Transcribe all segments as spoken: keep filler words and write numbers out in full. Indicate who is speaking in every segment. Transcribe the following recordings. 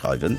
Speaker 1: schreiwen.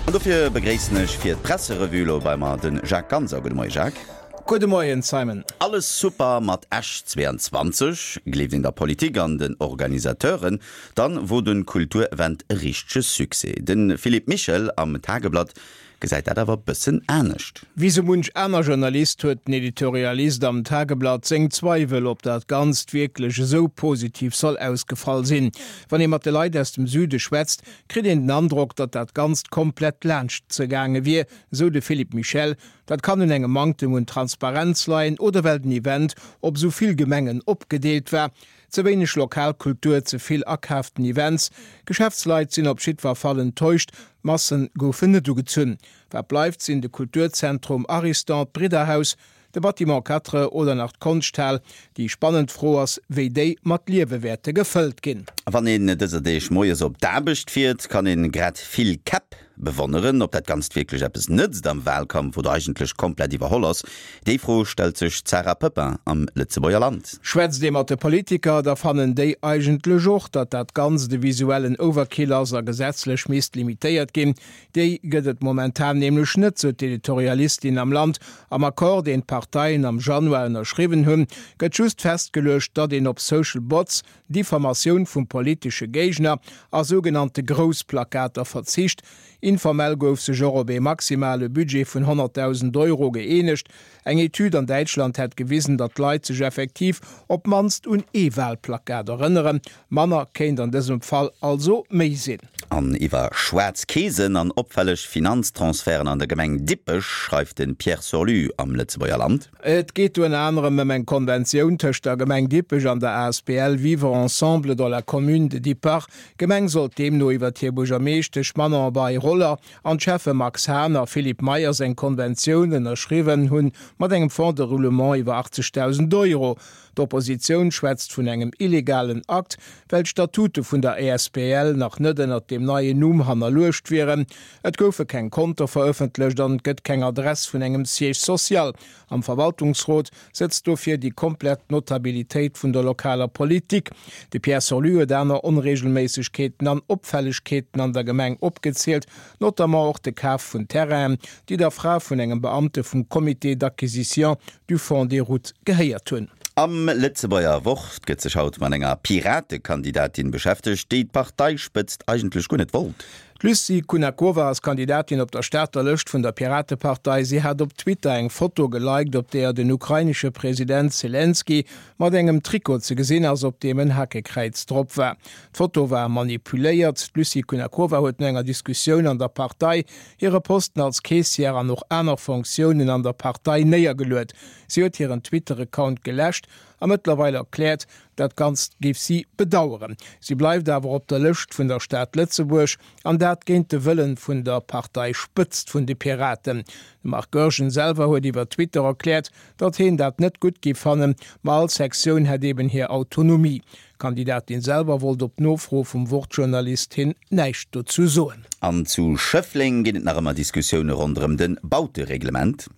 Speaker 1: An dofir begréissen ech fir d'Presserevue elo bei mer de Jacques Ganser. Gudde Moie Jacques.
Speaker 2: Gudde Moien Simon.
Speaker 1: Alles super mat Esch zweiundzwanzeg, gleeft een der Politik an den Organisateuren, dann wor de Kulturevent e richtege Succès. De Philippe Michel am Tageblatt gesäit dat awer bëssen anescht.
Speaker 2: Wéi sou munch aner Journalist huet den Editorialist am Tageblatt seng Zweiwel, ob dat Ganzt wierklech esou positiv soll ausgefall sinn. Wann ee mat de Leit aus dem Süde schwätzt, kritt een den Androck, datt dat Ganzt komplett laanscht ze gaange wier, esou de Philippe Michel. Dat kann un engem Manktem un Transparenz leien oder well den Event op esou vill Gemengen opgedeelt war. Ze wéineg lokal Kultur, ze vill akaaften Events. Geschäftsleit sinn op jiddwer Fall enttäuscht, d'Massen goufen net ugezunn. Wat bleift sinn de Kulturzentrum Ariston, d'Bridderhaus, de Bâtiment Quatre oder nach d'Konschthal. Déi spannend Fro ass, wéi déi mat Liewe wäerte gefëllt ginn.
Speaker 1: Wann een dëser Deeg moies op d'Aarbecht fiert, kann een grad vill Käpp bewonneren. Ob dat Ganzt wierklech eppes nëtzt am Wahlkampf oder eigentlech komplett iwwerholl ass, déi Fro stellt sech d'Sarah Poepping am Lëtzebuerger Land.
Speaker 2: Schwätzt ee mat de Politiker, da fannen déi eigentlech och, datt dat Ganzt e visuellen Overkill ass a gesetzlech misst limitéiert ginn. Déi gëtt et momentan nämlech net, sou d'Editorialistin am Land. Am Accord, deen d'Parteien am Januar ënnerschriwwen hunn, gëtt just festgeluecht, datt een op Social Bots, Diffamatioun vum politesche Géigner a sougenannte Groussplakater verzicht. Informell gouf sech och op ee maximale Budget vun honnertdausend Euro gëeenegt. Eng Etüd an Däitschland hätt gewisen, datt d'Leit sech effektiv op d'mannst un ee Walplakat erënneren. Manner kéint an dësem Fall also méi sinn.
Speaker 1: An iwwer schwaarz Keesen an opfälleg Finanztransferten an der Gemeng Dippech schreift de Pierre Sorlu am Lëtzebuerger Land.
Speaker 2: Et geet do ënner anerem ëm eng Konventioun tëscht der Gemeng Dippech an der asbl Vivre ensemble dans la commune de Dippach. D'Gemeng sollt deemno iwwer hir Buergermeeschtesch Manon Bei-Roller an d'Schäffe Max Hahn a Philippe Meyers eng Konventioun ënnerschriwwen hunn mat engem Fonds de roulement iwwer achtzegdausend Euro. D'Oppositioun schwätzt vun engem illegalen Akt, well d'Statute vun der asbl nach net ënnert deem neien Numm hannerluecht wieren. Et goufe keng Konte verëffentlecht an et gëtt keng Adress vun engem Siège social. Am Verwaltungsrot sëtzt dofir déi komplett Notabilitéit vun der lokaler Politik. De Pierre Sorlu huet aner Onreegelméissegkeeten an Opfällegkeeten an der Gemeng opgezielt, notamment och de Kaf vun Terrainen, déi der Fra vun engem Beamte vum Comité d'acquisition du Fonds des routes gehéiert hunn.
Speaker 1: Am Lëtzebuerger Wort gëtt sech haut mat enger Piratekandidatin beschäftegt, déi d'Parteispëtzt eigentlech guer net wollt.
Speaker 2: D'Lucie Kunakova ass Kandidatin op der Stater Lëscht vun der Piratepartei. Si hat op Twitter eng Foto geliked, op deeër den ukrainesche President Selenskyj mat engem Trikot ze gesinn ass, op deem en Hakekräiz drop war. D'Foto war manipuléiert. D'Lucie Kunakova huet no enger Diskussioun an der Partei hire Posten als Caissière an och aner Fonctiounen an der Partei néiergeluet. Si huet hiren Twitter-Account geläscht a mëttlerweil erkläert, dat Ganzt géif si bedaueren. Si bleift awer op der Lëscht vun der Stad Lëtzebuerg, an dat géint de Wëllen vun der Parteispëtzt vun de Piraten. De Marc Goergen selwer huet iwwer Twitter erkläert, datt hien dat net gutt géif fannen, ma all Sektioun hätt eben hir Autonomie. D'Kandidatin selwer wollt op Nofro vum Wort-Journalist hin näischt dozou soen.
Speaker 1: An zu Schëffleng ginn et nach ëmmer Diskussioune ronderëm de Bautereglement.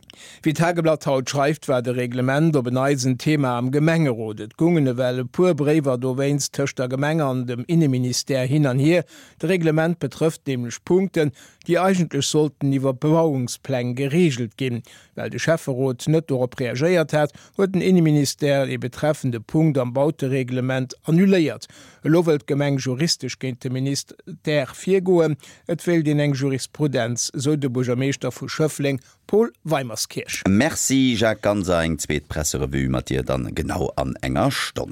Speaker 2: Wéi d'Tageblatt haut schreift, war de Reglement op en Neits en Thema am Gemengerot. Et goungen ewell e puer Bréiwer dowéinst tëscht der Gemeng an dem Inneministère hin an hier. De Reglement betrëfft nämlech Punkten, déi eigentlech sollten iwwer Bebauungspläng gereegelt ginn. Well de Schäfferot net dorop reagéiert hat, huet den Inneministère dee betreffende Punkt am Bautereglement annuléiert. Elo wëllt d'Gemeng juristesch géint de Ministère virgoen. Et wéilt een eng Jurisprudenz, sou de Buergermeeschter vu Schëffleng, Paul Weimerskirch.
Speaker 1: Merci Jacques Ganser, eng zweet Presserevue mat dir dann genau an enger Stonn.